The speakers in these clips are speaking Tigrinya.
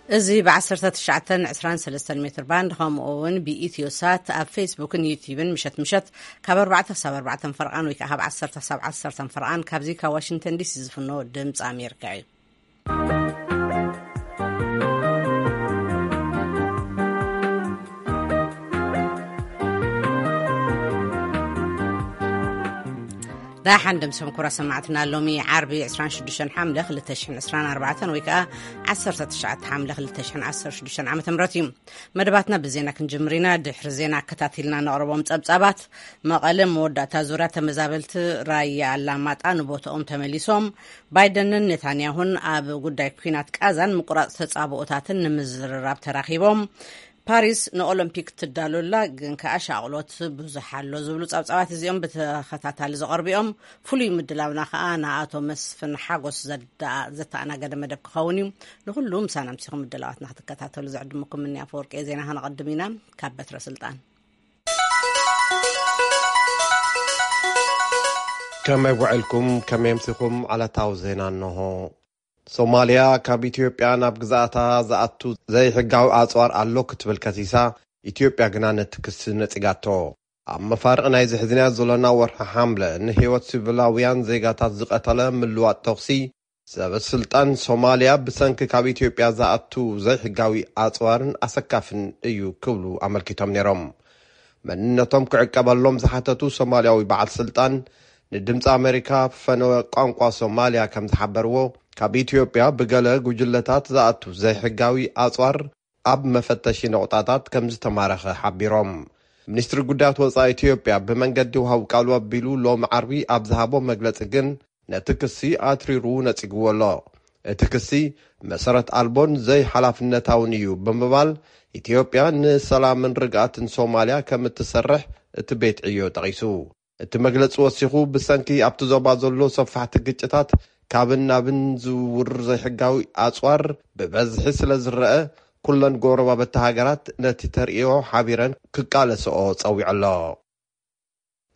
እዚ ብ1923 ሜትር ባንድ ከምኡ እውን ብኢትዮ ሳት ኣብ ፌስቡክን ዩቲዩብን ምሸት ምሸት ካብ ኣርባዕተ ክሳብ ኣርባዕተ ፈርቓን ወይ ከዓ ካብ ዓሰርተ ክሳብ ዓሰርተ ፈርቓን ካብዚ ካብ ዋሽንግተን ዲሲ ዝፍኖ ድምፂ ኣሜሪካ እዩ። ዳሓን ደምሰም ኩራ ሰማዕትና፣ ሎሚ ዓርቢ ዕስራን ሽዱሽተን ሓምለ ክልተ ሽሕን ዕስራን ኣርባዕተን ወይ ከዓ ዓሰርተ ትሽዓተ ሓምለ ክልተ ሽሕን ዓሰርተ ሽዱሽተን ዓመተ ምህረት እዩ። መደባትና ብዜና ክንጅምር ኢና። ድሕሪ ዜና ኣከታቲልና ነቕርቦም ጸብጻባት። መቐለ መወዳእታ ዙርያ ተመዛበልቲ ራያ ኣላማጣ ንቦታኦም ተመሊሶም። ባይደንን ኔታንያሁን ኣብ ጉዳይ ኲናት ቃዛን ምቁራጽ ተጻብኦታትን ንምዝርራብ ተራኺቦም። ፓሪስ ንኦሎምፒክ ትዳሎላ ግን ከኣ ሻቕሎት ብዙሕ ኣሎ ዝብሉ ጸብጻባት እዚኦም ብተኸታታሊ ዝቐርቡ እዮም። ፍሉይ ምድላውና ከኣ ንኣቶ መስፍን ሓጎስ ዘዳ-፣ ዘተኣናገደ መደብ ክኸውን እዩ። ንኹሉ ምሳና ምሲኹም ምድላዋትና ክትከታተሉ ዝዕድመኩም እኒ ኣፈወርቂ ዜና ከነቐድም ኢና። ካብ በትረ ስልጣን። ከመይ ውዕልኩም? ከመይ ኣምሲኹም? ዕለታዊ ዜና እንሆ። ሶማልያ ካብ ኢትዮጵያ ናብ ግዝኣታ ዝኣቱ ዘይሕጋዊ ኣጽዋር ኣሎ ክትብል ከሲሳ፣ ኢትዮጵያ ግና ነቲ ክሲ ነጺጋቶ። ኣብ መፋርቕ ናይዚ ሒዝናዮ ዘሎና ወርሒ ሓምለ፣ ንህይወት ሲቪላውያን ዜጋታት ዝቐተለ ምልዋጥ ተኹሲ፣ ሰበ ስልጣን ሶማልያ ብሰንኪ ካብ ኢትዮጵያ ዝኣቱ ዘይሕጋዊ ኣጽዋርን ኣሰካፍን እዩ ክብሉ ኣመልኪቶም ነይሮም። መንነቶም ክዕቀበሎም ዝሓተቱ ሶማልያዊ በዓል ስልጣን ንድምፂ ኣሜሪካ ፈነወ ቋንቋ ሶማልያ ከም ዝሓበርዎ፣ ካብ ኢትዮጵያ ብገለ ጉጅለታት ዝኣቱ ዘይሕጋዊ ኣፅዋር ኣብ መፈተሺ ነቑጣታት ከም ዝተማረኸ ሓቢሮም። ሚኒስትሪ ጉዳያት ወፃኢ ኢትዮጵያ ብመንገዲ ውሃብ ቃሉ ኣቢሉ ሎሚ ዓርቢ ኣብ ዝሃቦ መግለፂ ግን ነቲ ክሲ ኣትሪሩ ነፂግዎ ኣሎ። እቲ ክሲ መሰረት ኣልቦን ዘይሓላፍነታውን እዩ ብምባል ኢትዮጵያ ንሰላምን ርግኣትን ሶማልያ ከም እትሰርሕ እቲ ቤት ዕዮ ጠቒሱ። እቲ መግለጺ ወሲኹ፣ ብሰንኪ ኣብቲ ዞባ ዘሎ ሰፋሕቲ ግጭታት ካብን ናብን ዝውውር ዘይሕጋዊ ኣጽዋር ብበዝሒ ስለ ዝረአ፣ ኩለን ጎረባብቲ ሃገራት ነቲ ተርእዮ ሓቢረን ክቃለስኦ ጸዊዑ ኣሎ።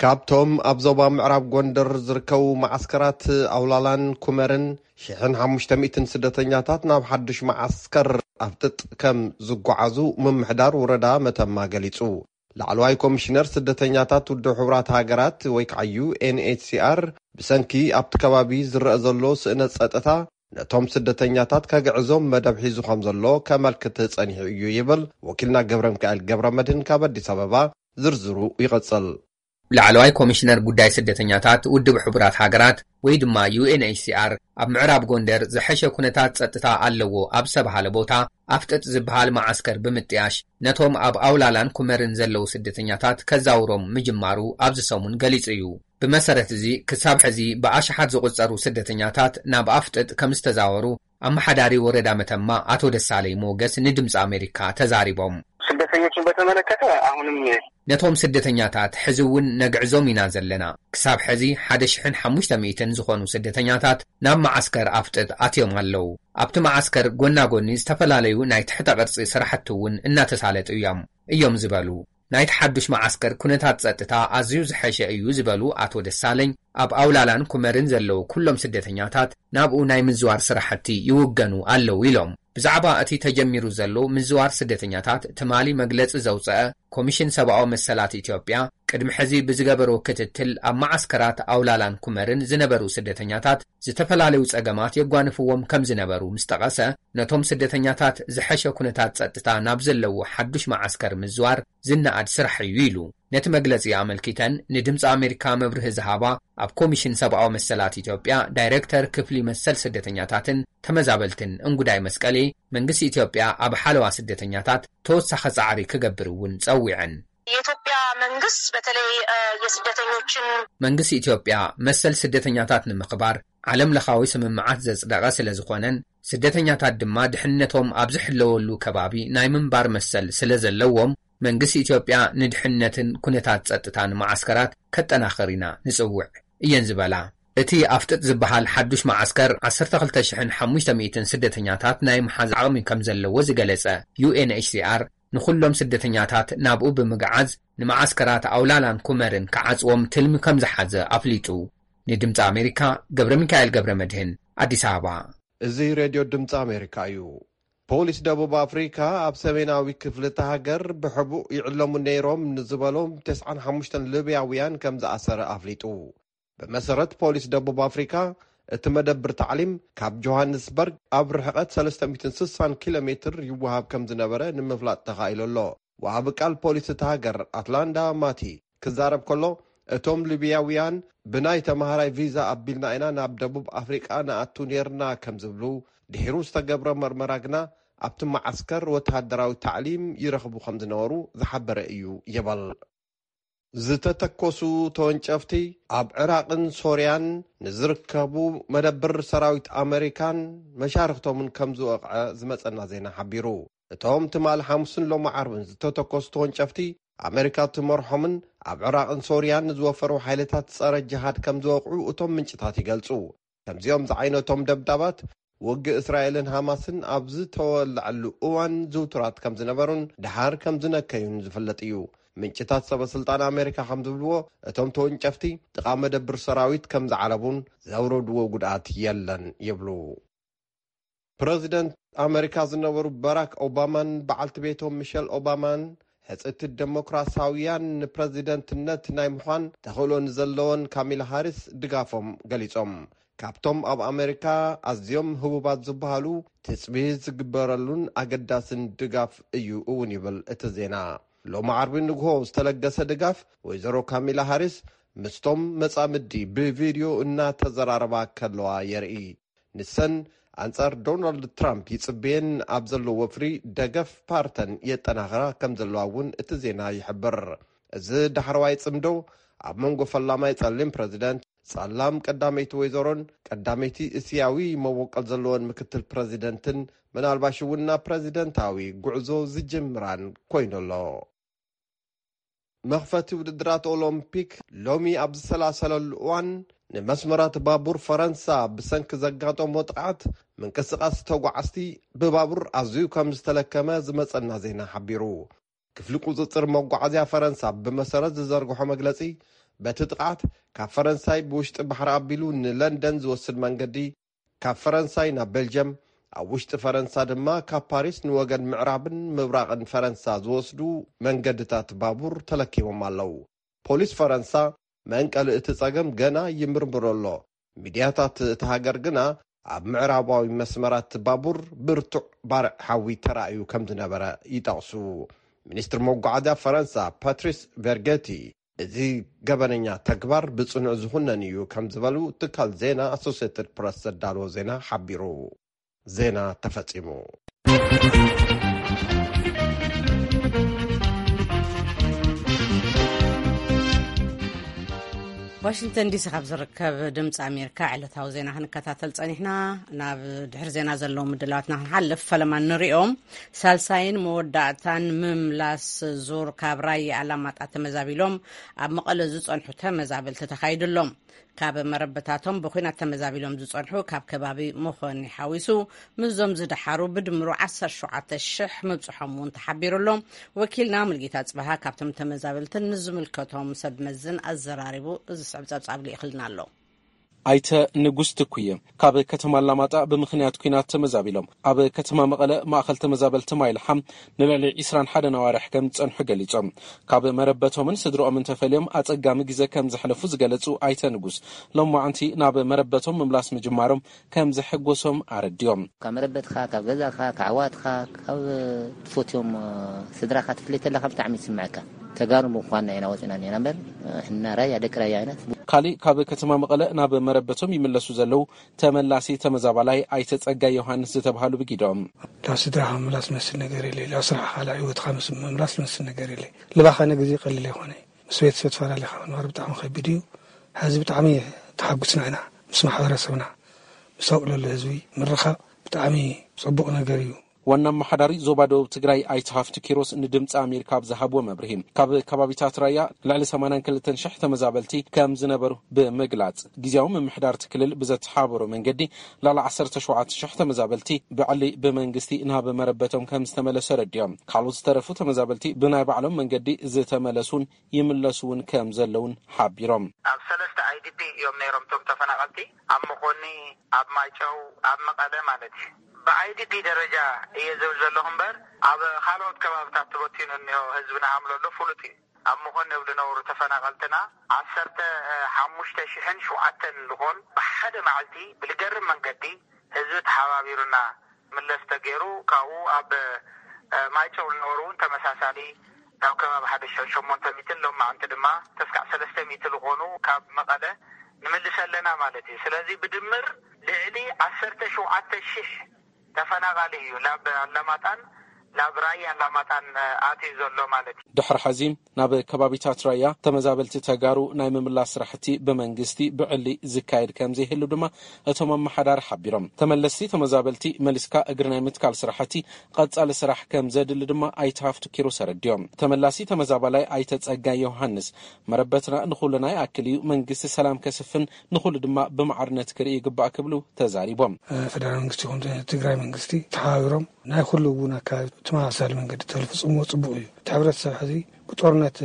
ካብቶም ኣብ ዞባ ምዕራብ ጎንደር ዝርከቡ መዓስከራት ኣውላላን ኩመርን ሽሕን ሓሙሽተ ሚእትን ስደተኛታት ናብ ሓድሽ መዓስከር ኣፍጥጥ ከም ዝጓዓዙ ምምሕዳር ወረዳ መተማ ገሊጹ። ላዕለዋይ ኮሚሽነር ስደተኛታት ውድብ ሕቡራት ሃገራት ወይ ከዓ ዩ ኤን ኤች ሲ ኣር ብሰንኪ ኣብቲ ከባቢ ዝረአ ዘሎ ስእነት ጸጥታ ነቶም ስደተኛታት ከግዕዞም መደብ ሒዙ ከም ዘሎ ከመልክት ጸኒሑ እዩ ይብል ወኪልና ገብረ ሚካኤል ገብረ መድህን ካብ ኣዲስ ኣበባ። ዝርዝሩ ይቐጽል። ላዕለዋይ ኮሚሽነር ጉዳይ ስደተኛታት ውድብ ሕቡራት ሃገራት ወይ ድማ ዩ ኤን ኤች ሲ ኣር ኣብ ምዕራብ ጎንደር ዝሐሸ ኩነታት ጸጥታ ኣለዎ ኣብ ዝተባሃለ ቦታ ኣፍጥጥ ዝበሃል መዓስከር ብምጥያሽ ነቶም ኣብ ኣውላላን ኩመርን ዘለዉ ስደተኛታት ከዛውሮም ምጅማሩ ኣብዚ ሰሙን ገሊጹ እዩ። ብመሰረት እዚ ክሳብ ሕዚ ብኣሽሓት ዝቑጸሩ ስደተኛታት ናብ ኣፍጥጥ ከም ዝተዛወሩ ኣመሓዳሪ ወረዳ መተማ ኣቶ ደሳለይ ሞገስ ንድምፂ ኣሜሪካ ተዛሪቦም። ስደተኞችን በተመለከተ አሁንም ነቶም ስደተኛታት ሕዚ እውን ነግዕዞም ኢና ዘለና። ክሳብ ሕዚ ሓደ ሽሕን ሓሙሽተ ሚእትን ዝኾኑ ስደተኛታት ናብ መዓስከር ኣፍጥጥ ኣትዮም ኣለዉ። ኣብቲ መዓስከር ጎና ጎኒ ዝተፈላለዩ ናይ ትሕተ ቅርጺ ስራሕቲ እውን እናተሳለጡ እዮም፣ እዮም ዝበሉ። ናይቲ ሓዱሽ መዓስከር ኩነታት ጸጥታ ኣዝዩ ዝሐሸ እዩ ዝበሉ ኣቶ ደሳለኝ፣ ኣብ ኣውላላን ኩመርን ዘለዉ ኩሎም ስደተኛታት ናብኡ ናይ ምዝዋር ስራሕቲ ይውገኑ ኣለዉ ኢሎም። ብዛዕባ እቲ ተጀሚሩ ዘሎ ምዝዋር ስደተኛታት ትማሊ መግለጺ ዘውጸአ ኮሚሽን ሰብኣዊ መሰላት ኢትዮጵያ፣ ቅድሚ ሕዚ ብዝገበሮ ክትትል ኣብ መዓስከራት ኣውላላን ኩመርን ዝነበሩ ስደተኛታት ዝተፈላለዩ ጸገማት የጓንፍዎም ከም ዝነበሩ ምስ ጠቐሰ፣ ነቶም ስደተኛታት ዝሐሸ ኩነታት ጸጥታ ናብ ዘለዎ ሓዱሽ መዓስከር ምዝዋር ዝነኣድ ስራሕ እዩ ኢሉ። ነቲ መግለጺ ኣመልኪተን ንድምፂ ኣሜሪካ መብርሂ ዝሃባ ኣብ ኮሚሽን ሰብኣዊ መሰላት ኢትዮጵያ ዳይሬክተር ክፍሊ መሰል ስደተኛታትን ተመዛበልትን እንጉዳይ መስቀሌ፣ መንግስቲ ኢትዮጵያ ኣብ ሓለዋ ስደተኛታት ተወሳኺ ጻዕሪ ክገብር እውን ጸዊዐን። የኢትዮጵያ መንግስት በተለይ፣ እ፣ የስደተኞችን መንግስቲ ኢትዮጵያ መሰል ስደተኛታት ንምኽባር ዓለም ለኻዊ ስምምዓት ዘጽደቐ ስለ ዝኾነን ስደተኛታት ድማ ድሕነቶም ኣብ ዝሕለወሉ ከባቢ ናይ ምንባር መሰል ስለ ዘለዎም መንግስቲ ኢትዮጵያ ንድሕነትን ኩነታት ጸጥታን መዓስከራት ከጠናኽር ኢና ንጽውዕ እየን ዝበላ። እቲ ኣፍጥጥ ዝበሃል ሓዱሽ መዓስከር ዓሰርተ ክልተ ሽሕን ሓሙሽተ ሚእትን ስደተኛታት ናይ ምሓዝ ዓቕሚ ከም ዘለዎ ዝገለጸ ዩ ኤን ኤች ሲ ኣር፣ ንኹሎም ስደተኛታት ናብኡ ብምግዓዝ ንመዓስከራት ኣውላላን ኩመርን ክዓጽዎም ትልሚ ከም ዝሓዘ ኣፍሊጡ። ንድምጺ ኣሜሪካ፣ ገብረ ሚካኤል ገብረ መድህን፣ ኣዲስ ኣበባ። እዚ ሬድዮ ድምጺ ኣሜሪካ እዩ። ፖሊስ ደቡብ ኣፍሪካ ኣብ ሰሜናዊ ክፍሊ እታ ሃገር ብሕቡእ ይዕለሙ ነይሮም ንዝበሎም ተስዓን ሓሙሽተን ሊብያውያን ከም ዝኣሰረ ኣፍሊጡ። ብመሰረት ፖሊስ ደቡብ ኣፍሪካ፣ እቲ መደብር ታዕሊም ካብ ጆሃንስበርግ ኣብ ርሕቐት ሰለስተ ሚእትን ስሳን ኪሎ ሜትር ይወሃብ ከም ዝነበረ ንምፍላጥ ተኻኢሉ ኣሎ። ወሃቢ ቃል ፖሊስ እታ ሃገር ኣትላንዳ ማቲ ክዛረብ ከሎ፣ እቶም ሊብያውያን ብናይ ተማሃራይ ቪዛ ኣቢልና ኢና ናብ ደቡብ ኣፍሪቃ ንኣቱ ነይርና ከም ዝብሉ፣ ድሒሩ ዝተገብረ መርመራ ግና ኣብቲ መዓስከር ወተሃደራዊ ታዕሊም ይረኽቡ ከም ዝነበሩ ዝሓበረ እዩ ይብል። ዝተተኮሱ ተወንጨፍቲ ኣብ ዕራቕን ሶርያን ንዝርከቡ መደብር ሰራዊት ኣመሪካን መሻርኽቶምን ከም ዝወቕዐ ዝመጸና ዜና ሓቢሩ። እቶም ትማል ሓሙስን ሎሚ ዓርብን ዝተተኮሱ ተወንጨፍቲ ኣመሪካ ትመርሖምን ኣብ ዕራቕን ሶርያን ንዝወፈሩ ሓይልታት ጸረ ጅሃድ ከም ዝወቕዑ እቶም ምንጭታት ይገልጹ። ከምዚኦም ዝዓይነቶም ደብዳባት ውግእ እስራኤልን ሃማስን ኣብ ዝተወለዐሉ እዋን ዝውቱራት ከም ዝነበሩን ደሓር ከም ዝነከዩን ዝፍለጥ እዩ። ምንጭታት ሰበ ስልጣን ኣሜሪካ ከም ዝብልዎ፣ እቶም ተወንጨፍቲ ጥቓ መደብር ሰራዊት ከም ዝዓለቡን ዘውረድዎ ጉድኣት የለን ይብሉ። ፕረዚደንት ኣመሪካ ዝነበሩ ባራክ ኦባማን በዓልቲ ቤቶም ሚሸል ኦባማን ሕጽቲ ደሞክራሳውያን ንፕረዚደንትነት ናይ ምዃን ተኽእሎ ንዘለወን ካሚላ ሃሪስ ድጋፎም ገሊጾም። ካብቶም ኣብ ኣመሪካ ኣዝዮም ህቡባት ዝበሃሉ ትጽቢት ዝግበረሉን ኣገዳስን ድጋፍ እዩ እውን ይብል እቲ ዜና። ሎሚ ዓርቢ ንግሆ ዝተለገሰ ድጋፍ ወይዘሮ ካሚላ ሃሪስ ምስቶም መጻምዲ ብቪድዮ እናተዘራረባ ከለዋ የርኢ። ንሰን ኣንጻር ዶናልድ ትራምፕ ይጽበየን ኣብ ዘሎ ወፍሪ ደገፍ ፓርተን የጠናኽራ ከም ዘለዋ እውን እቲ ዜና ይሕብር። እዚ ዳሕረዋይ ጽምዶ ኣብ መንጎ ፈላማይ ጸሊም ፕረዚደንት፣ ጸላም ቀዳመይቲ ወይዘሮን ቀዳመይቲ እስያዊ መበቆል ዘለወን ምክትል ፕረዚደንትን ምናልባሽ እውን ናብ ፕረዚደንታዊ ጉዕዞ ዝጅምራን ኮይኑ ኣሎ። መኽፈቲ ውድድራት ኦሎምፒክ ሎሚ ኣብ ዝሰላሰለሉ እዋን፣ ንመስመራት ባቡር ፈረንሳ ብሰንኪ ዘጋጠሞ ጥቕዓት፣ ምንቅስቓስ ተጓዓዝቲ ብባቡር ኣዝዩ ከም ዝተለከመ ዝመጸና ዜና ሓቢሩ። ክፍሊ ቁጽጽር መጓዓዝያ ፈረንሳ ብመሰረት ዝዘርግሖ መግለጺ፣ በቲ ጥቕዓት ካብ ፈረንሳይ ብውሽጢ ባሕሪ ኣቢሉ ንለንደን ዝወስድ መንገዲ፣ ካብ ፈረንሳይ ናብ ቤልጅየም፣ ኣብ ውሽጢ ፈረንሳ ድማ ካብ ፓሪስ ንወገን ምዕራብን ምብራቕን ፈረንሳ ዝወስዱ መንገድታት ባቡር ተለኪሞም ኣለዉ። ፖሊስ ፈረንሳ መንቀሊ እቲ ጸገም ገና ይምርምሮ ኣሎ። ሚድያታት እታ ሃገር ግና ኣብ ምዕራባዊ መስመራት ባቡር ብርቱዕ ባርዕ ሓዊ ተራእዩ ከም ዝነበረ ይጠቕሱ። ሚኒስትር መጓዓዝያ ፈረንሳ ፓትሪስ ቬርጌቲ፣ እዚ ገበነኛ ተግባር ብጽኑዕ ዝኹነን እዩ ከም ዝበሉ ትካል ዜና ኣሶሴትድ ፕረስ ዘዳለዎ ዜና ሓቢሩ። ዜና ተፈጺሙ። ዋሽንግተን ዲሲ ካብ ዝርከብ ድምፂ ኣሜሪካ ዕለታዊ ዜና ክንከታተል ጸኒሕና። ናብ ድሕሪ ዜና ዘለዉ ምድላዋትና ክንሓልፍ፣ ፈለማ ንሪኦም። ሳልሳይን መወዳእታን ምምላስ ዙር ካብ ራያ ኣላማጣ ተመዛቢሎም ኣብ መቐለ ዝጸንሑ ተመዛበልቲ ተኻይዱ ኣሎ። ካብ መረበታቶም ብኹናት ተመዛቢሎም ዝጸንሑ፣ ካብ ከባቢ መኾኒ ሓዊሱ፣ ምስዞም ዝደሓሩ ብድምሩ ዓሰርተ ሸውዓተ ሽሕ ምብጽሖም እውን ተሓቢሩ ኣሎ። ወኪልና ሙልጌታ ጽበሃ ካብቶም ተመዛበልትን ንዝምልከቶም ሰብ መዝን ኣዘራሪቡ፣ እዚ ዝስዕብ ጸብጻብ ልኢኽልና ኣሎ። ኣይተ ንጉስ ትኩየ፣ ካብ ከተማ ኣላማጣ ብምኽንያት ኲናት ተመዛቢሎም ኣብ ከተማ መቐለ ማእኸል ተመዛበልቲ ማይልሓም ንልዕሊ ዒስራን ሓደን ኣዋርሕ ከም ዝጸንሑ ገሊጾም። ካብ መረበቶምን ስድርኦምን ተፈልዮም ኣጸጋሚ ግዜ ከም ዘሕለፉ ዝገለጹ ኣይተ ንጉስ፣ ሎማዕንቲ ናብ መረበቶም ምምላስ ምጅማሮም ከም ዘሐጎሶም ኣረዲኦም። ካብ መረበትካ፣ ካብ ገዛኻ፣ ካብ ኣሕዋትካ፣ ካብ ትፈትዮም ስድራኻ ትፍለይ ተለኻ ብጣዕሚ ይስምዐካ። ተጋሩ ምዃንና ኢና ወፂና እኒና እምበር፣ ሕና ራያ፣ ደቂ ራያ ኣይነት። ካሊእ ካብ ከተማ መቐለ ናብ መረበቶም ይምለሱ ዘለዉ ተመላሲ ተመዛባላይ ኣይተ ጸጋይ ዮሃንስ ዝተብሃሉ ብጊዶም። ላብ ስድራኻ ምምላስ ዝመስል ነገር የለ፣ ላብ ስራሕኻ፣ ላብ ህይወትኻ ምስ-፣ ምምላስ ዝመስል ነገር የለ። ልባኻ ንግዜ ቀሊል ኣይኮነ። ምስ ቤተሰብ ተፈላለኻ ምንባር ብጣዕሚ ከቢድ እዩ። ሕዚ ብጣዕሚ ተሓጉስና ኢና። ምስ ማሕበረሰብና፣ ምስ ኣብኡ ለሎ ህዝቢ ምርኻብ ብጣዕሚ ጽቡቕ ነገር እዩ። ዋና ኣመሓዳሪ ዞባ ደቡብ ትግራይ ኣይተ ሃፍቱ ኪሮስ ንድምፂ ኣሜሪካ ኣብ ዝሃብዎ መብርሂ፣ ካብ ከባቢታት ራያ ልዕሊ ሰማንያን ክልተን ሽሕ ተመዛበልቲ ከም ዝነበሩ ብምግላፅ፣ ግዜያዊ ምምሕዳር እቲ ክልል ብዘተሓባበሮ መንገዲ ልዕሊ ዓሰርተ ሸውዓተ ሽሕ ተመዛበልቲ ብዕሊ ብመንግስቲ ናብ መረበቶም ከም ዝተመለሱ ኣረዲኦም። ካልኦት ዝተረፉ ተመዛበልቲ ብናይ ባዕሎም መንገዲ ዝተመለሱን ይምለሱ እውን ከም ዘለውን ሓቢሮም። ኣብ ሰለስተ ኣይ ዲ ፒ እዮም ነይሮም እቶም ተፈናቐልቲ፣ ኣብ መኾኒ፣ ኣብ ማይጨው፣ ኣብ መቐለ ማለት እዩ። ብ ኣይ ዲ ፒ ደረጃ እየ ዝብል ዘለኹ እምበር፣ ኣብ ካልኦት ከባብታት ተበቲኑ እኒሆ ህዝብና ሃምለሎ ፍሉጥ እዩ። ኣብ መኾኒ ዝነብሩ ተፈናቐልትና ዓሰርተ ሓሙሽተ ሽሕን ሸውዓተን ዝኾን ብሓደ መዓልቲ ብልገርም መንገዲ ህዝቢ ተሓባቢሩና ምለስ ተገይሩ፣ ካብኡ ኣብ ማይጨው ዝነበሩ እውን ተመሳሳሊ፣ ካብ ከባቢ ሓደ ሽሕን ሸሞንተ ሚእትን ሎም መዓንቲ ድማ ተስካዕ ሰለስተ ሚእቲ ዝኾኑ ካብ መቐለ ንምልስ ኣለና ማለት እዩ። ስለዚ ብድምር ልዕሊ ዓሰርተ ሸውዓተ ሽሕ ተፈናቓሊ እዩ ናብ ኣላማጣን ናብ ራያ ኣላማጣን ኣትዩ ዘሎ ማለት እዩ። ድሕሪ ሕዚ ናብ ከባቢታት ራያ ተመዛበልቲ ተጋሩ ናይ ምምላስ ስራሕቲ ብመንግስቲ ብዕሊ ዝካየድ ከም ዘይህሉ ድማ እቶም ኣመሓዳሪ ሓቢሮም። ተመለስቲ ተመዛበልቲ መሊስካ እግሪ ናይ ምትካል ስራሕቲ ቀጻሊ ስራሕ ከም ዘድሊ ድማ ኣይተ ሃፍቱ ኪሮስ ኣረዲኦም። ተመላሲ ተመዛባላይ ኣይተ ጸጋይ ዮሃንስ፣ መረበትና ንኹልና ይኣክል እዩ፣ መንግስቲ ሰላም ከስፍን ንኹሉ ድማ ብማዕርነት ክርኢ ይግባእ ክብሉ ተዛሪቦም። ፈደራል መንግስቲ ይኹን ትግራይ መንግስቲ ተሓባቢሮም ናይ ኩሉ እውን ኣካባቢ ተመሳሳሊ መንገዲ ተልፍፅምዎ ፅቡቅ እዩ። እቲ ሕብረተሰብ ሕዚ ብጦርነት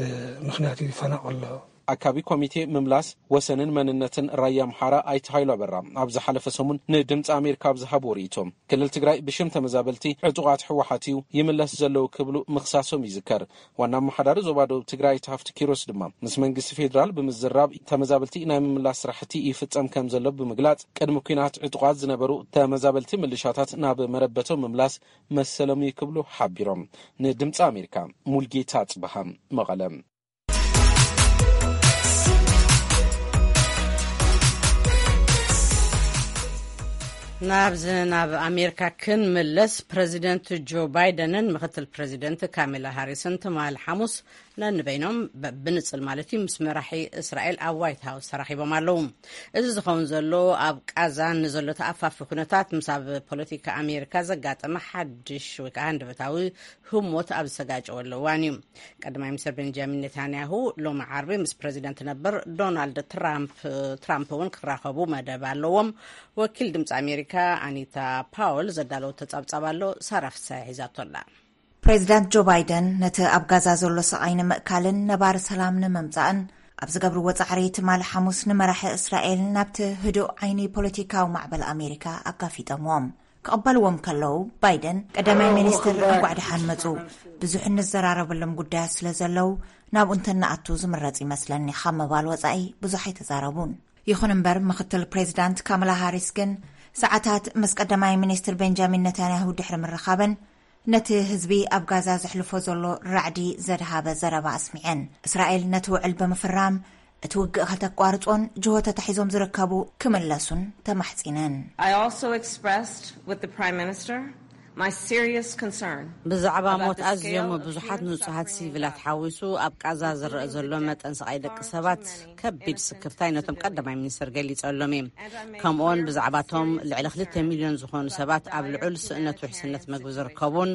ምክንያት ይፈናቀል ኣሎ። ኣካቢ ኮሚቴ ምምላስ ወሰንን መንነትን ራያ ኣምሓራ ኣይተ ሃይሉ ኣበራ ኣብ ዝሓለፈ ሰሙን ንድምፂ ኣሜሪካ ኣብ ዝሃብዎ ርእይቶ፣ ክልል ትግራይ ብሽም ተመዛበልቲ ዕጡቓት ህወሓት እዩ ይምለስ ዘለዉ ክብሉ ምኽሳሶም ይዝከር። ዋና ኣመሓዳሪ ዞባ ደቡብ ትግራይ ኣይተ ሃፍቱ ኪሮስ ድማ ምስ መንግስቲ ፌዴራል ብምዝራብ ተመዛበልቲ ናይ ምምላስ ስራሕቲ ይፍፀም ከም ዘሎ ብምግላፅ፣ ቅድሚ ኲናት ዕጡቓት ዝነበሩ ተመዛበልቲ ምልሻታት ናብ መረበቶም ምምላስ መሰሎም እዩ ክብሉ ሓቢሮም። ንድምፂ ኣሜሪካ ሙልጌታ ጽበሃ፣ መቐለ። ናብዚ ናብ ኣሜሪካ ክንምለስ፣ ፕረዚደንት ጆ ባይደንን ምክትል ፕረዚደንት ካሜላ ሃሪስን ትማሊ ሓሙስ ነንበይኖም፣ ብ-፣ ብንጽል ማለት እዩ፣ ምስ መራሒ እስራኤል ኣብ ዋይት ሃውስ ተራኺቦም ኣለዉ። እዚ ዝኸውን ዘሎ ኣብ ቃዛ ንዘሎ ተኣፋፊ ኩነታት ምስ ኣብ ፖለቲካ ኣሜሪካ ዘጋጠመ ሓድሽ ወይ ከዓ ሃንደበታዊ ህሞት ኣብ ዝተጋጨወሉ እዋን እዩ። ቀዳማይ ሚኒስትር ቤንጃሚን ኔታንያሁ ሎሚ ዓርቢ ምስ ፕረዚደንት ነበር ዶናልድ ትራምፕ፣ ትራምፕ እውን ክራኸቡ መደብ ኣለዎም። ወኪል ድምፂ ኣሜሪካ ኣኒታ ፓውል ዘዳለወቶ ጸብጻብ ኣሎ፣ ሳራ ፍሳሐ ሒዛቶ ኣላ። ፕሬዚዳንት ጆ ባይደን ነቲ ኣብ ጋዛ ዘሎ ስቓይ ንምእካልን ነባሪ ሰላም ንምምጻእን ኣብ ዝገብርዎ ጻዕሪ፣ ትማሊ ሓሙስ ንመራሒ እስራኤል ናብቲ ህዱእ ዓይኒ ፖለቲካዊ ማዕበል ኣሜሪካ ኣጋፊጦምዎም። ክቕበልዎም ከለዉ፣ ባይደን፣ ቀዳማይ ሚኒስትር፣ እንኳዕ ደሓን መጹ፣ ብዙሕ እንዘራረበሎም ጉዳያት ስለ ዘለዉ፣ ናብኡ እንተንኣቱ ዝምረጽ ይመስለኒ ካብ ምባል ወጻኢ ብዙሕ ኣይተዛረቡን። ይኹን እምበር፣ ምኽትል ፕሬዚዳንት ካማላ ሃሪስ ግን፣ ሰዓታት ምስ ቀዳማይ ሚኒስትር ቤንጃሚን ነታንያሁ ድሕሪ ምርኻበን፣ ነቲ ህዝቢ ኣብ ጋዛ ዘሕልፎ ዘሎ ራዕዲ ዘድሃበ ዘረባ ኣስሚዐን። እስራኤል ነቲ ውዕል ብምፍራም፣ እቲ ውግእ ከተቋርጾን ጅሆ ተታሒዞም ዝርከቡ ክምለሱን ተማሕጺነን። I also expressed with the Prime Minister my serious concern ብዛዕባ about ሞት the ኣዝዮም scale of ብዙሓት human ንጹሃት suffering in ሲቪላት Gaza. ሓዊሱ ኣብ ቃዛ ዝረአ ዘሎ መጠን ስቓይ ደቂ ሰባት ከቢድ ስክፍታይ ነቶም ቀዳማይ ሚኒስትር ገሊጸሎም እየ። ከምኡውን ብዛዕባቶም ልዕሊ ክልተ ሚልዮን ዝኾኑ ሰባት ኣብ ልዑል ስእነት ውሕስነት መግቢ ዝርከቡን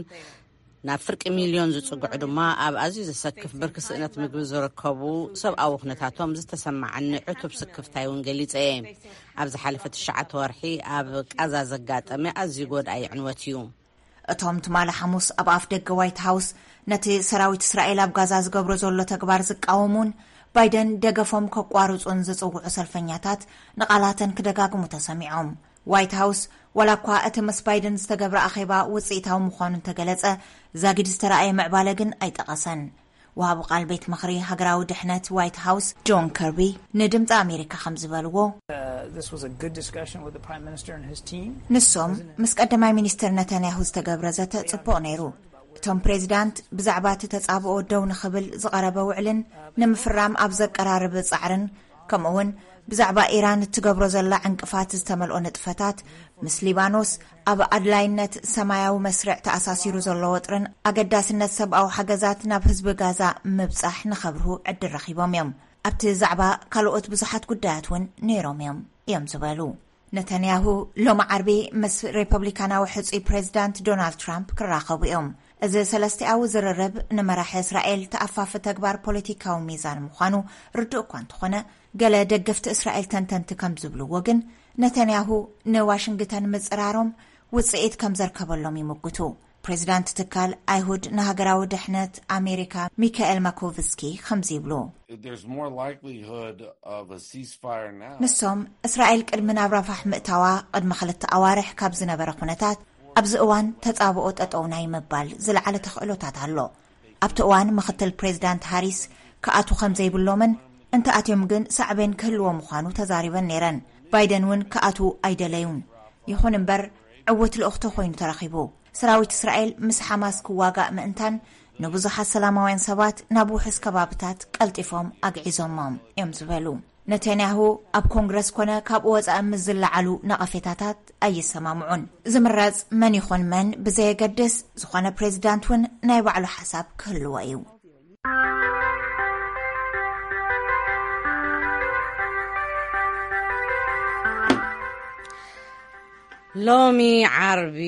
ናብ ፍርቂ ሚልዮን ዝጽግዑ ድማ ኣብ ኣዝዩ ዘሰክፍ ብርኪ ስእነት ምግቢ ዝርከቡ ሰብኣዊ ኩነታቶም ዝተሰማዓኒ ዕቱብ ስክፍታይ እውን ገሊጸ እየ። ኣብ ዝሓለፈ ትሽዓተ ወርሒ ኣብ ቃዛ ዘጋጠመ ኣዝዩ ጎዳኢ ዕንወት እዩ። እቶም ትማሊ ሓሙስ ኣብ ኣፍ ደገ ዋይት ሃውስ ነቲ ሰራዊት እስራኤል ኣብ ጋዛ ዝገብሮ ዘሎ ተግባር ዝቃወሙን ባይደን ደገፎም ከቋርጹን ዝጽውዑ ሰልፈኛታት ንቓላተን ክደጋግሙ ተሰሚዖም። ዋይት ሃውስ፣ ዋላ እኳ እቲ ምስ ባይደን ዝተገብረ ኣኼባ ውጽኢታዊ ምዃኑ እንተገለጸ፣ ዛጊድ ዝተረኣየ ምዕባለ ግን ኣይጠቐሰን። ወሃቢ ቃል ቤት ምኽሪ ሃገራዊ ድሕነት ዋይት ሃውስ ጆን ከርቢ ንድምፂ ኣሜሪካ ከም ዝበልዎ፣ Uh, this was a good discussion with the Prime Minister and his team. ንሶም ምስ ቀዳማይ ሚኒስትር ነታንያሁ ዝተገብረ ዘተ ጽቡቕ ነይሩ። እቶም ፕሬዚዳንት ብዛዕባ እቲ ተጻብኦ ደው ንኽብል ዝቐረበ ውዕልን ንምፍራም ኣብ ዘቀራርብ ጻዕርን፣ ከምኡውን ብዛዕባ ኢራን እትገብሮ ዘላ ዕንቅፋት ዝተመልኦ ንጥፈታት፣ ምስ ሊባኖስ ኣብ ኣድላይነት ሰማያዊ መስርዕ ተኣሳሲሩ ዘሎ ወጥርን ኣገዳስነት ሰብኣዊ ሓገዛት ናብ ህዝቢ ጋዛ ምብጻሕ ንኸብርሁ ዕድል ረኺቦም እዮም። ኣብቲ ዛዕባ ካልኦት ብዙሓት ጉዳያት እውን ነይሮም እዮም፣ እዮም ዝበሉ። ነተንያሁ ሎሚ ዓርቢ ምስ ሪፐብሊካናዊ ሕጹይ ፕሬዚዳንት ዶናልድ ትራምፕ ክራኸቡ እዮም። እዚ ሰለስቲኣዊ ዝርርብ ንመራሒ እስራኤል ተኣፋፊ ተግባር ፖለቲካዊ ሚዛን ምዃኑ ርዱእ እኳ እንተኾነ፣ ገለ ደገፍቲ እስራኤል ተንተንቲ ከም ዝብልዎ ግን፣ ነተንያሁ ንዋሽንግተን ምጽራሮም ውጽኢት ከም ዘርከበሎም ይምጉቱ። ፕሬዚዳንት ትካል ኣይሁድ ንሃገራዊ ድሕነት ኣሜሪካ ሚካኤል ማኮቭስኪ ከምዚ ይብሉ። There's more likelihood of a ceasefire now. ንሶም፣ እስራኤል ቅድሚ ናብ ራፋሕ ምእታዋ ቅድሚ ክልተ ኣዋርሕ ካብ ዝነበረ ኩነታት፣ ኣብዚ እዋን ተጻብኦ ጠጠው ናይ ምባል ዝለዓለ ተኽእሎታት ኣሎ። ኣብቲ እዋን ምኽትል ፕሬዚዳንት ሃሪስ ክኣቱ ከም ዘይብሎምን፣ እንተኣትዮም ግን ሳዕቤን ክህልዎ ምዃኑ ተዛሪበን ነይረን። ባይደን እውን ክኣቱ ኣይደለዩን። ይኹን እምበር፣ ዕውት ልኡኽቶ ኮይኑ ተረኺቡ። ሰራዊት እስራኤል ምስ ሓማስ ክዋጋእ ምእንታን ንብዙሓት ሰላማውያን ሰባት ናብ ውሑስ ከባብታት ቀልጢፎም ኣግዒዞሞም እዮም ዝበሉ ነተንያሁ፣ ኣብ ኮንግረስ ኮነ ካብኡ ወጻኢ ምስ ዝለዓሉ ነቐፌታታት ኣይሰማምዑን። ዝምረጽ መን ይኹን መን ብዘየገድስ፣ ዝኾነ ፕሬዚዳንት እውን ናይ ባዕሉ ሓሳብ ክህልዎ እዩ። ሎሚ ዓርቢ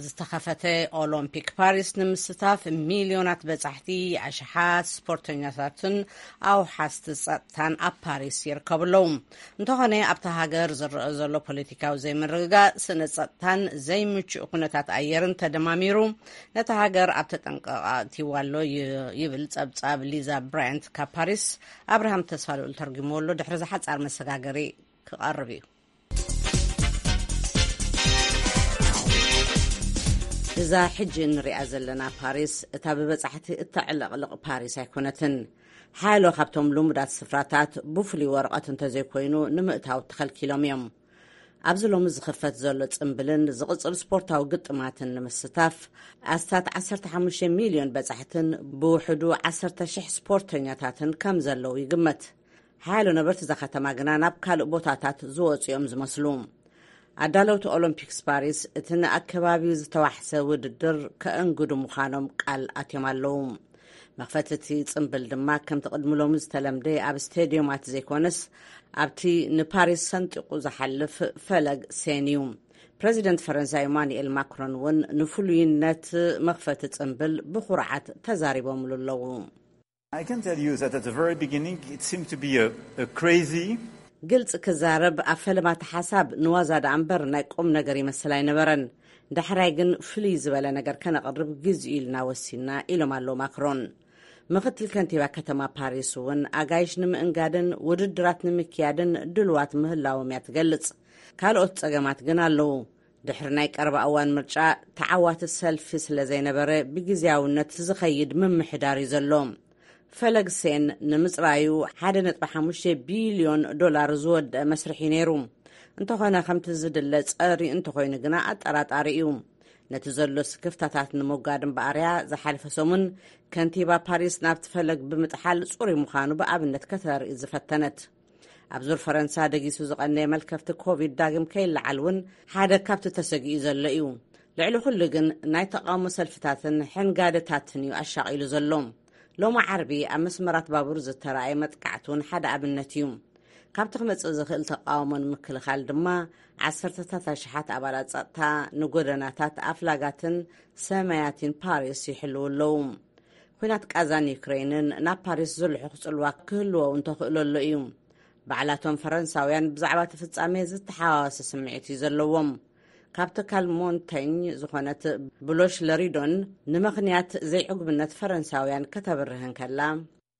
ዝተኸፈተ ኦሎምፒክ ፓሪስ ንምስታፍ፣ ሚልዮናት በጻሕቲ፣ ኣሽሓት ስፖርተኛታትን ኣውሓስቲ ጸጥታን ኣብ ፓሪስ ይርከቡ ኣለዉ። እንተኾነ፣ ኣብታ ሃገር ዝረአ ዘሎ ፖለቲካዊ ዘይምርግጋእ፣ ስነ ጸጥታን ዘይምቹእ ኩነታት ኣየርን ተደማሚሩ፣ ነታ ሃገር ኣብ ተጠንቀቕ ኣእትይዋ ኣሎ ይ-፣ ይብል ጸብጻብ ሊዛ ብራያንት ካብ ፓሪስ። ኣብርሃም ተስፋልኡል ተርጉምዎ ኣሎ። ድሕሪ ዝሓጻር መሰጋገሪ ክቐርብ እዩ። እዛ ሕጂ እንሪኣ ዘለና ፓሪስ፣ እታ ብበጻሕቲ እተዕለቕልቕ ፓሪስ ኣይኮነትን። ሓያሎ ካብቶም ልሙዳት ስፍራታት ብፍሉይ ወረቐት እንተዘይኮይኑ ንምእታው ተኸልኪሎም እዮም። ኣብዚ ሎሚ ዝኽፈት ዘሎ ጽምብልን ዝቕጽል ስፖርታዊ ግጥማትን ንምስታፍ፣ ኣስታት ዓሰርተ ሓሙሽተ ሚልዮን በጻሕትን ብውሕዱ ዓሰርተ ሽሕ ስፖርተኛታትን ከም ዘለዉ ይግመት። ሓያሎ ነበርቲ እዛ ከተማ ግና ናብ ካልእ ቦታታት ዝወጹ እዮም ዝመስሉ። ኣዳለውቲ ኦሎምፒክስ ፓሪስ፣ እቲ ንኣከባቢኡ ዝተዋሕሰ ውድድር ከእንግዱ ምዃኖም ቃል ኣትዮም ኣለዉ። መኽፈቲ እቲ ጽምብል ድማ፣ ከምቲ ቅድሚ ሎሚ ዝተለምደ፣ ኣብ ስቴድዮማት ዘይኮነስ፣ ኣብቲ ንፓሪስ ሰንጢቑ ዝሓልፍ ፈለግ ሴን እዩ። ፕረዚደንት ፈረንሳ ኢማኑኤል ማክሮን እውን ንፍሉይነት መኽፈቲ ጽምብል ብኹርዓት ተዛሪቦምሉ ኣለዉ። I can tell you that at the very beginning, it seemed to be a, a crazy ግልጽ ክዛረብ፣ ኣብ ፈለማ እቲ ሓሳብ ንዋዛ ደኣ እምበር ናይ ቁም ነገር ይመስል ኣይነበረን። ዳሕራይ ግን ፍልይ ዝበለ ነገር ከነቕርብ ግዜኡ ኢልና ወሲንና፣ ኢሎም ኣለዉ ማክሮን። ምኽትል ከንቲባ ከተማ ፓሪስ እውን ኣጋይሽ ንምእንጋድን ውድድራት ንምክያድን ድልዋት ምህላዎም እያ ትገልጽ። ካልኦት ጸገማት ግን ኣለዉ። ድሕሪ ናይ ቀረባ እዋን ምርጫ፣ ተዓዋቲ ሰልፊ ስለ ዘይነበረ፣ ብግዝያውነት ዝኸይድ ምምሕዳር እዩ ዘሎ። ፈለግ ሴን ንምጽራዩ ሓደ ነጥቢ ሓሙሽተ ቢልዮን ዶላር ዝወደአ መስርሕ እዩ ነይሩ። እንተኾነ፣ ከምቲ ዝድለ ጸሪ እንተኾይኑ ግና ኣጠራጣሪ እዩ። ነቲ ዘሎ ስክፍታታት ንምውጋድ እምበኣርያ፣ ዝሓለፈ ሰሙን ከንቲባ ፓሪስ ናብቲ ፈለግ ብምጥሓል ጽሩይ ምዃኑ ብኣብነት ከተርኢ ዝፈተነት። ኣብ ዙር ፈረንሳ ደጊሱ ዝቐነየ መልከፍቲ ኮቪድ ዳግም ከይለዓል እውን ሓደ ካብቲ ተሰጊኡ ዘሎ እዩ። ልዕሊ ኩሉ ግን ናይ ተቓውሞ ሰልፍታትን ሕንጋደታትን እዩ ኣሻቒሉ ዘሎ። ሎሚ ዓርቢ ኣብ መስመራት ባቡር ዝተራእየ መጥቃዕቲ እውን ሓደ ኣብነት እዩ። ካብቲ ክመጽእ ዝኽእል ተቓውሞ ንምክልኻል ድማ ዓሰርተታት ኣሽሓት ኣባላት ጸጥታ ንጎደናታት ኣፍላጋትን ሰማያትን ፓሪስ ይሕልዉ ኣለዉ። ኲናት ቃዛን ዩክሬንን ናብ ፓሪስ ዝልሑኽ ጽልዋ ክህልዎ እውን ተኽእሎ ኣሎ እዩ። ባዕላቶም ፈረንሳውያን ብዛዕባ እቲ ፍጻሜ ዝተሓዋወሰ ስምዒት እዩ ዘለዎም። ካብ ትካል ሞንተኝ ዝኾነት ብሎሽ ለሪዶን ንምኽንያት ዘይዕጉብነት ፈረንሳውያን ከተብርህ እንከላ፣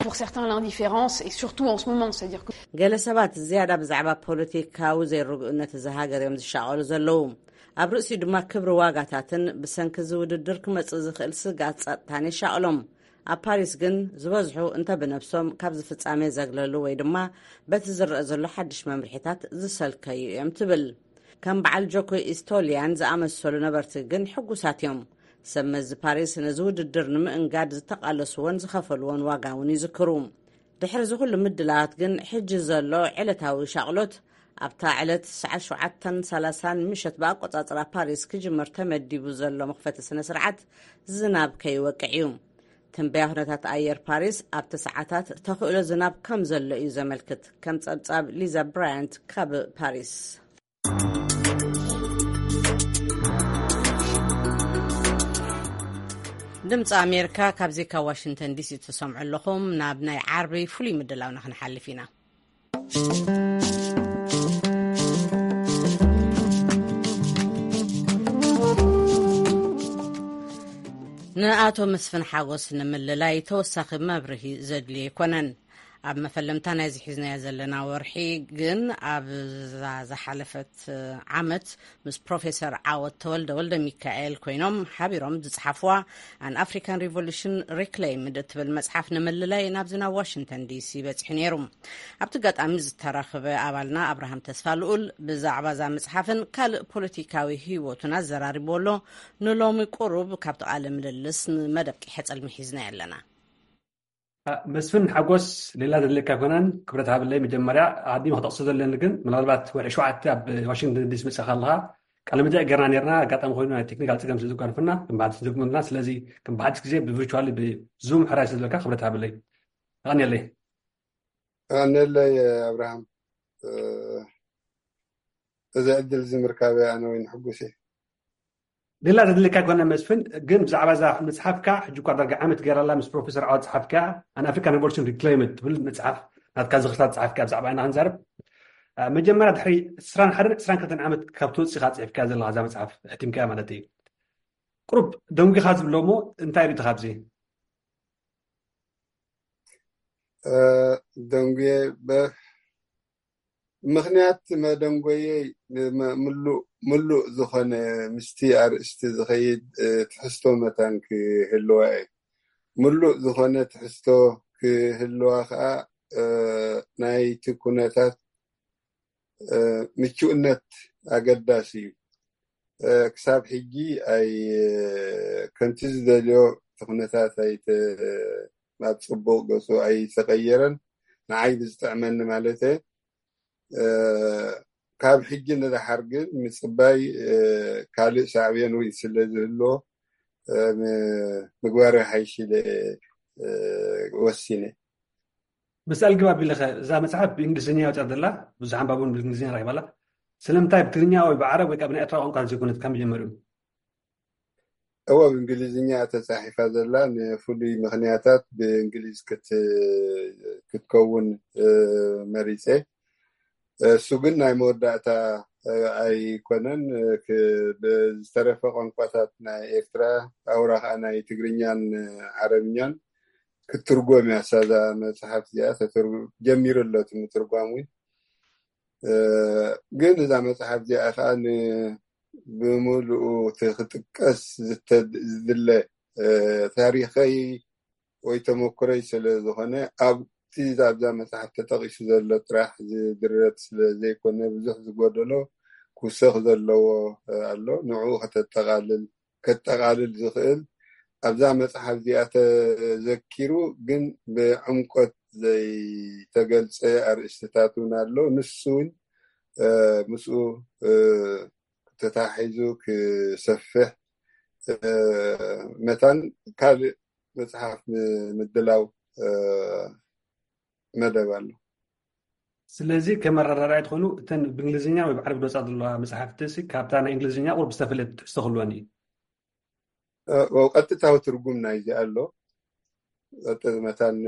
Pour certains, l'indifférence, et surtout en ce moment, c'est-à-dire que ገለ ሰባት ዝያዳ ብዛዕባ ፖለቲካዊ ዘይርግኡነት እዛ ሃገር እዮም ዝሻቐሉ ዘለዉ። ኣብ ርእሲኡ ድማ ክብሪ ዋጋታትን ብሰንኪ እዚ ውድድር ክመጽእ ዝኽእል ስግኣት ጸጥታን የሻቕሎም። ኣብ ፓሪስ ግን ዝበዝሑ እንተ ብነብሶም ካብዚ ፍጻሜ ዘግለሉ ወይ ድማ በቲ ዝረአ ዘሎ ሓድሽ መምርሒታት ዝሰልከዩ እዮም ትብል። ከም በዓል ጆኮ ኢስቶሊያን ዝኣመሰሉ ነበርቲ ግን ሕጉሳት እዮም። ሰብ መዚ ፓሪስ ነዚ ውድድር ንምእንጋድ ዝተቓለስዎን ዝኸፈልዎን ዋጋ እውን ይዝክሩ። ድሕሪ እዚ ኩሉ ምድላዋት ግን፣ ሕጂ ዘሎ ዕለታዊ ሻቕሎት፣ ኣብታ ዕለት ሰዓት ሸውዓተን ሰላሳን ምሸት ብኣቆጻጽራ ፓሪስ ክጅመር ተመዲቡ ዘሎ መኽፈቲ ስነ ስርዓት ዝናብ ከይወቅዕ እዩ። ትንበያ ኩነታት ኣየር ፓሪስ ኣብቲ ሰዓታት ተኽእሎ ዝናብ ከም ዘሎ እዩ ዘመልክት፣ ከም ጸብጻብ ሊዛ ብራያንት ካብ ፓሪስ። ድምፂ ኣሜሪካ ካብዚ ካብ ዋሽንግተን ዲሲ ትሰምዑ ኣለኹም። ናብ ናይ ዓርቢ ፍሉይ ምድላውና ክንሓልፍ ኢና። ንኣቶ መስፍን ሓጎስ ንምልላይ ተወሳኺ መብርሂ ዘድልዮ ኣይኮነን። ኣብ መፈለምታ ናይዚ ሒዝናዮ ዘለና ወርሒ ግን ኣብዛ ዝሓለፈት ዓመት ምስ ፕሮፌሰር ዓወት ተወልደ ወልደ ሚካኤል ኮይኖም ሓቢሮም ዝጸሓፍዋ ኣን ኣፍሪካን ሪቮሉሽን ሪክሌይምድ እትብል መጽሓፍ ንምልላይ ናብዚ ናብ ዋሽንግተን ዲሲ በጺሑ ነይሩ። ኣብቲ ኣጋጣሚ ዝተረኽበ ኣባልና ኣብርሃም ተስፋ ልኡል ብዛዕባ እዛ መጽሓፍን ካልእ ፖለቲካዊ ህይወቱን ኣዘራሪቡ ኣሎ። ንሎሚ ቁሩብ ካብቲ ቃለ ምልልስ ንመደብ ቂሐ ጸልሚ ሒዝናዮ ኣለና። መስፍን ሓጎስ፣ ሌላ ዘድልየካ ኣይኮነን። ክብረት ሃብለይ። መጀመርያ ኣዲም ክጠቕሶ ዘለኒ ግን ምናልባት ወርሒ ሸውዓተ ኣብ ዋሽንግተን ዲሲ መፅኻ ኣለኻ። ቃለ መጠይቅ ገርና ነርና፣ ኣጋጣሚ ኮይኑ ናይ ቴክኒካል ፀገም ስለ ዘጓንፍና ክምባሓት ስለ ዘጉምልና፣ ስለዚ ክምባሓት ግዜ ብቪርቹዋሊ ብዙም ሕራይ ስለ ዘለካ ክብረት ሃብለይ። ኣቐንየለይ። ኣቐንየለይ ኣብርሃም። እዚ ዕድል እዚ ምርካበይ ኣነ ወይን ሕጉስ እየ። ሌላ ዘድልካ ኣይኮነ መስፍን፣ ግን ብዛዕባ እዛ መጽሓፍካ ሕጂ እኳ ዳርጋ ዓመት ገይራላ ምስ ፕሮፌሰር ዓወት ጸሓፍካ፣ ኣን ኣፍሪካን ሪቮሉሽን ሪክሌምድ ትብል መጽሓፍ ናትካ ዝኽርታት ጸሓፍካ ብዛዕባ ኢና ክንዛረብ። መጀመርያ ድሕሪ ዕስራን ሓደን ዕስራን ክልተን ዓመት ካብ ትወጽእ ኢኻ ጽሒፍካ ዘለኻ እዛ መጽሓፍ ሕቲምካ ማለት እዩ። ቁሩብ ደንጒኻ ዝብሎ እሞ እንታይ ርኢኻ ኣብዚ? ደንጉየ ምኽንያት መደንጎየይ ምሉእ ዝኾነ ምስቲ ኣርእስቲ ዝኸይድ ትሕዝቶ መታን ክህልዋ እየ። ምሉእ ዝኾነ ትሕዝቶ ክህልዋ ከዓ ናይቲ ኩነታት ምቹእነት ኣገዳሲ እዩ። ክሳብ ሕጂ ኣይ ከምቲ ዝደልዮ እቲ ኩነታት ኣይ ናብ ፅቡቅ ገፁ ኣይተቀየረን። ንዓይ ብዝጥዕመኒ ማለት ካብ ሕጂ ንደሓር ግን ምፅባይ ካልእ ሳዕቤን እውን ስለ ዝህልዎ ምግባር ሓይሽ ኢለ ወሲነ። ምስ ኣልግባብ ኢለኸ እዛ መፅሓፍ ብእንግሊዝኛ ወፅያ ዘላ ብዙሕ ኣንባቢ እውን ብእንግሊዝኛ ረኪባላ። ስለምንታይ ብትግርኛ ወይ ብዓረብ ወይ ከዓ ብናይ ኤርትራ ቋንቋ ዘይኮነት ካብ መጀመሪኡ? እወ ብእንግሊዝኛ ተፃሒፋ ዘላ ንፍሉይ ምክንያታት ብእንግሊዝ ክትከውን መሪፀ። እሱ ግን ናይ መወዳእታ ኣይኮነን። ብዝተረፈ ቋንቋታት ናይ ኤርትራ ኣውራ ከዓ ናይ ትግርኛን ዓረብኛን ክትርጎም እያ። ሳዛ መፅሓፍ እዚኣ ጀሚሩ ኣሎ እቲ ምትርጓም እውን። ግን እዛ መፅሓፍ እዚኣ ከዓ ብሙሉኡ እቲ ክጥቀስ ዝድለ ታሪኸይ ወይ ተመክሮይ ስለ ዝኾነ ኣብቲ ኣብዛ መፅሓፍ ተጠቂሱ ዘሎ ጥራሕ ዝድረት ስለ ዘይኮነ ብዙሕ ዝጎደሎ ክውሰኽ ዘለዎ ኣሎ። ንዕኡ ከተጠቃልል ከጠቃልል ዝኽእል ኣብዛ መፅሓፍ እዚኣ ተዘኪሩ ግን ብዕምቆት ዘይተገልፀ ኣርእስትታት እውን ኣሎ። ንሱ እውን ምስኡ ተታሒዙ ክሰፍሕ መታን ካልእ መፅሓፍ ምድላው መደብ ኣሎ። ስለዚ ከመረዳዳኢ ትኾኑ እተን ብእንግሊዝኛ ወይ ብዓረብ ዝወፃ ዘለዋ መፅሓፍቲ ካብታ ናይ እንግሊዝኛ ቁርብ ዝተፈለየ ትሕዝቶ ክህልወን እዩ። ቀጥታዊ ትርጉም ናይዚ ኣሎ። መታን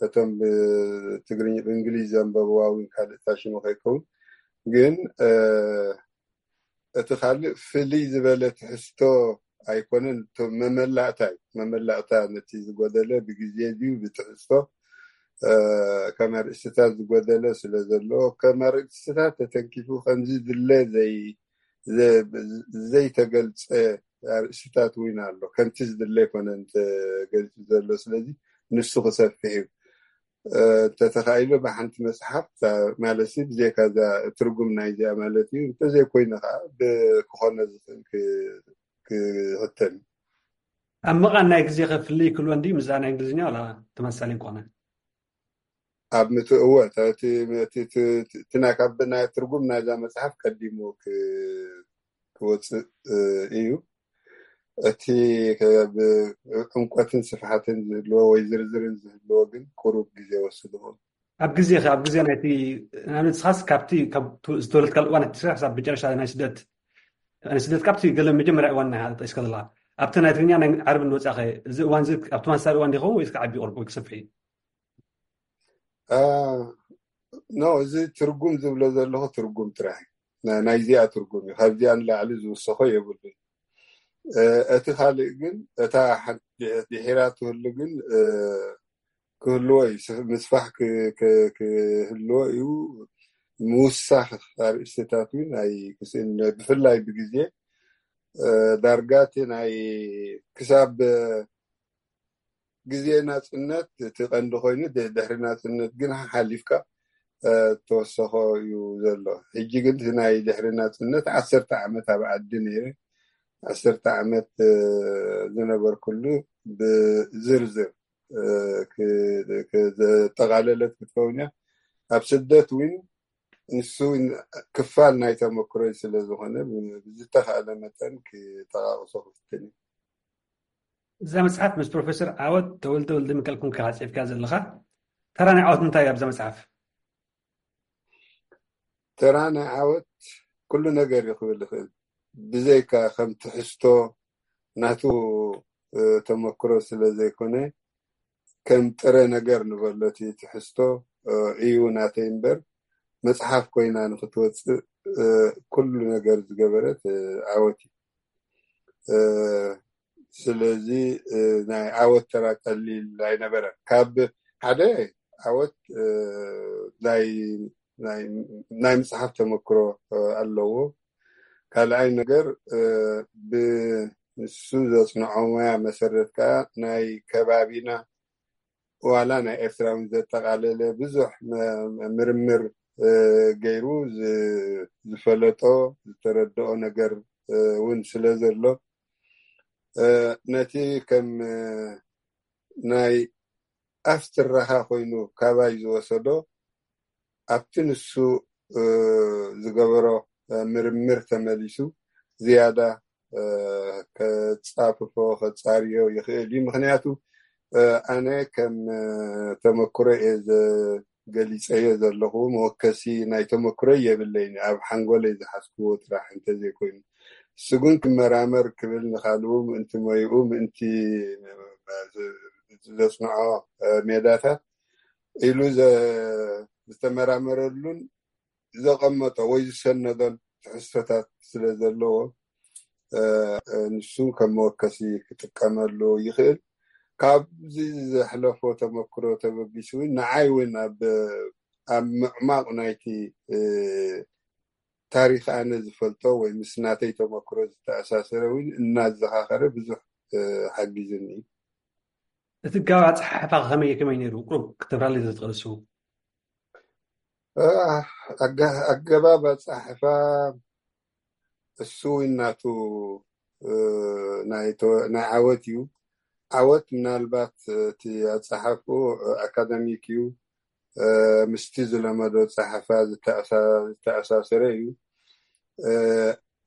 እቶም ብትግርኛ ብእንግሊዝ ዘንበብዋ እውን ካልእ ታሽሙ ከይከውን ግን እቲ ካልእ ፍልይ ዝበለ ትሕዝቶ ኣይኮነን። መመላእታ እዩ። መመላእታ ነቲ ዝጎደለ ብግዜ ድዩ ብትሕዝቶ ከም ኣርእስትታት ዝጎደለ ስለ ዘሎ ከም ኣርእስትታት ተተንኪፉ ከምዚ ድለ ዘይተገልፀ ኣርእስትታት እውን ኣሎ። ከምቲ ዝድለ ኣይኮነን ተገሊፁ ዘሎ። ስለዚ ንሱ ክሰፍሕ እዩ። እንተተኻኢሉ ብሓንቲ መፅሓፍ ማለት ብዘይካ እዛ ትርጉም ናይዚኣ ማለት እዩ። እንተዘይኮይኑ ከዓ ክኾነ ዝኽእል ክህተም እዩ። ኣብ መቓን ናይ ግዜ ከፍልይ ክልወ እንዲ ምስዛ ናይ እንግሊዝኛ ዋላ ተመሳሳሊ እንኮነ? ኣብ ምትእወ እቲ ናይ ካብ ናይ ትርጉም ናይዛ መፅሓፍ ቀዲሙ ክወፅእ እዩ። እቲ ዕምቆትን ስፍሓትን ዝህልዎ ወይ ዝርዝርን ዝህልዎ ግን ቁሩብ ግዜ ወስድኹም። ኣብ ግዜ ኣብ ግዜ ናይቲ ንኣብነት ንስኻስ ካብቲ ዝተወለድካሉ እዋን እቲ ስራሕ ክሳብ መጨረሻ ናይ ስደት ናይ ስደት ካብቲ ገለ መጀመርያ እዋን ናይ ጠቂስካ ዘለካ ኣብቲ ናይ ትግርኛ ናይ ዓርቢ ንወፃኸ፣ እዚ እዋን እዚ ኣብቲ ማሳሪ እዋን ዲኸውን ወይስ ክዓቢ ይቕርብ ወይ ክሰፍሕ እዩ? ኖ፣ እዚ ትርጉም ዝብሎ ዘለኹ ትርጉም ጥራሕ ናይዚኣ ትርጉም እዩ። ካብዚኣ ንላዕሊ ዝውሰኾ የብሉን። እቲ ካልእ ግን፣ እታ ድሒራ ትህሉ ግን ክህልዎ እዩ፣ ምስፋሕ ክህልዎ እዩ። ምውሳኽ ኣርእስትታት እውን ኣይክስእን፣ ብፍላይ ብግዜ ዳርጋቲ ናይ ክሳብ ግዜ ናፅነት እቲ ቀንዲ ኮይኑ፣ ድሕሪ ናፅነት ግን ሓሊፍካ ተወሰኾ እዩ ዘሎ። ሕጂ ግን እቲ ናይ ድሕሪ ናፅነት ዓሰርተ ዓመት ኣብ ዓዲ ነይረ፣ ዓሰርተ ዓመት ዝነበርኩሉ ብዝርዝር ዘጠቓለለት ክትከውን እያ። ኣብ ስደት እውን ንሱ ክፋል ናይ ተመክሮይ ስለዝኾነ ብዝተኻእለ መጠን ክጠቃቅሶ ክፍትን እዩ። እዛ መፅሓፍ ምስ ፕሮፌሰር ዓወት ተወልደ ወልደ ሚካኤል ኮንካ ፅሒፍካ ዘለኻ፣ ተራ ናይ ዓወት እንታይ ኣብዛ መፅሓፍ? ተራ ናይ ዓወት ኩሉ ነገር እዩ ክብል ይኽእል። ብዘይካ ከም ትሕዝቶ ናቱ ተመክሮ ስለ ዘይኮነ፣ ከም ጥረ ነገር ንበሎ፣ እቲ ትሕዝቶ እዩ ናተይ እምበር፣ መፅሓፍ ኮይና ንክትወፅእ ኩሉ ነገር ዝገበረት ዓወት እዩ። ስለዚ ናይ ዓወት ተራ ቀሊል ኣይነበረን። ካብ ሓደ ዓወት ናይ ምፅሓፍ ተመክሮ ኣለዎ። ካልኣይ ነገር ብንሱ ዘፅንዖ ሙያ መሰረት ከዓ ናይ ከባቢና ዋላ ናይ ኤርትራ እውን ዘጠቃለለ ብዙሕ ምርምር ገይሩ ዝፈለጦ ዝተረድኦ ነገር እውን ስለ ዘሎ፣ ነቲ ከም ናይ ኣፍ ትረኻ ኮይኑ ካባይ ዝወሰዶ፣ ኣብቲ ንሱ ዝገበሮ ምርምር ተመሊሱ ዝያዳ ከፃፍፎ ከፃርዮ ይኽእል እዩ። ምክንያቱ ኣነ ከም ተመክሮ እየ ገሊፀዮ ዘለኹ፣ መወከሲ ናይ ተመክሮ የብለይን፣ ኣብ ሓንጎለይ ዝሓዝክዎ ጥራሕ እንተዘይኮይኑ። እሱ ግን ክመራመር ክብል ንካልኡ ምእንቲ ሞይኡ ምእንቲ ዘፅንዖ ሜዳታት ኢሉ ዝተመራመረሉን ዘቐመጦ ወይ ዝሰነዶን ትሕዝቶታት ስለ ዘለዎ፣ ንሱ ከም መወከሲ ክጥቀመሉ ይኽእል። ካብዚ ዘሕለፎ ተመክሮ ተበጊሱ እውን ንዓይ እውን ኣብ ኣብ ምዕማቕ ናይቲ ታሪኽ ኣነ ዝፈልጦ ወይ ምስ ናተይ ተመክሮ ዝተኣሳሰረ እውን እናዘኻኸረ ብዙሕ ሓጊዝኒ እዩ። እቲ ኣገባብ ኣፀሓሕፋ ከመይ ከመይ ነይሩ? ቁሩብ ክተብራለይ ዘትኽእል እሱ። ኣገባብ ኣፀሓሕፋ እሱ እውን ናቱ ናይ ዓወት እዩ። ዓወት ምናልባት እቲ ኣፀሓሕፍኡ ኣካዳሚክ እዩ፣ ምስቲ ዝለመዶ ፀሓፋ ዝተኣሳሰረ እዩ።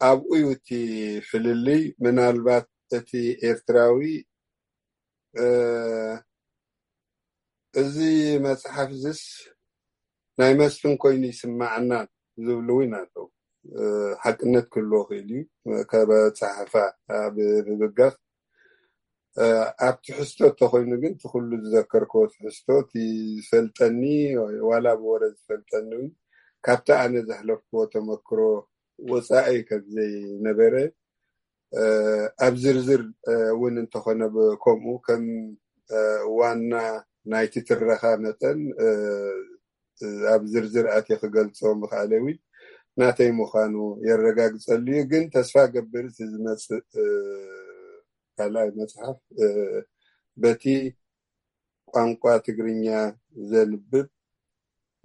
ኣብኡ እዩ እቲ ፍልልይ። ምናልባት እቲ ኤርትራዊ እዚ መፅሓፍ እዚስ ናይ መስፍን ኮይኑ ይስማዓና ዝብሉ እውን ኣለዉ። ሓቅነት ክህልዎ ክእል እዩ። ካብ ኣፀሓሕፋ ብምብጋስ፣ ኣብ ትሕዝቶ እንተኮይኑ ግን እቲ ኩሉ ዝዘከርክዎ ትሕዝቶ፣ እቲ ዝፈልጠኒ ዋላ ብወረ ዝፈልጠኒ እውን ካብቲ ኣነ ዘሕለፍክዎ ተመክሮ ወፃኢ ከም ዘይነበረ ኣብ ዝርዝር እውን እንተኾነ ከምኡ ከም ዋና ናይቲ ትረኻ መጠን ኣብ ዝርዝር ኣትየ ክገልፆ ምኽኣለ እውን ናተይ ምዃኑ የረጋግፀሉ እዩ። ግን ተስፋ ገብር እቲ ዝመፅእ ካልኣይ መፅሓፍ በቲ ቋንቋ ትግርኛ ዘንብብ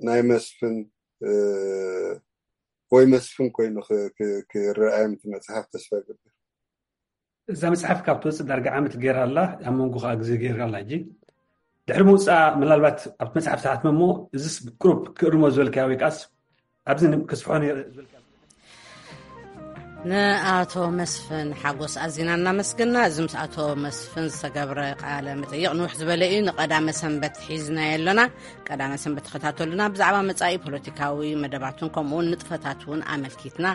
ናይ መስፍን ወይ መስፍን ኮይኑ ክረኣዮም እቲ መፅሓፍ ተስፋ ገብር። እዛ መፅሓፍ ካብ ትወፅእ ዳርጋ ዓመት ገይራ ኣላ፣ ኣብ መንጎ ከዓ ግዜ ገይራ ኣላ። ሕጂ ድሕሪ ምውፃኣ ምናልባት ኣብቲ መፅሓፍ ተሓትመ እሞ እዚስ ቁሩብ ክእርሞ ዝበልካዮ ወይ ከዓስ ኣብዚ ክስፍሖ ነይረ ዝበልካዮ ንኣቶ መስፍን ሓጎስ ኣዚና እናመስግና። እዚ ምስ ኣቶ መስፍን ዝተገብረ ቃለ መጠይቕ ንውሕ ዝበለ እዩ። ንቀዳመ ሰንበት ሒዝናዮ ኣለና። ቀዳመ ሰንበት ተኸታተሉና። ብዛዕባ መጻኢ ፖለቲካዊ መደባትን ከምኡውን ንጥፈታት እውን ኣመልኪትና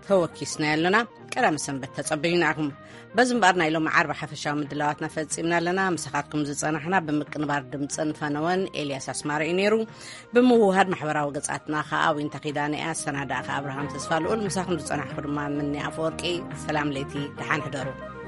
ተወኪስናዮ ኣለና። ቀዳመ ሰንበት ተጸበዩ ንዓኹም። በዚ እምበኣር ናይ ሎሚ ዓርቢ ሓፈሻዊ ምድላዋትና ፈጺምና ኣለና። ምሳኻትኩም ዝጸናሕና ብምቅንባር ድምጽን ፈነወን ኤልያስ ኣስማረ እዩ ነይሩ። ብምውሃድ ማሕበራዊ ገጻትና ከኣ ዊንታ ኪዳነ እያ። ኣሰናዳእካ ኣብርሃም ተስፋ ልኡል። ምሳኹም ዝጸናሕኩ ድማ ምኒ ኣፈወርቂ። ሰላም ለይቲ፣ ደሓን ሕደሩ።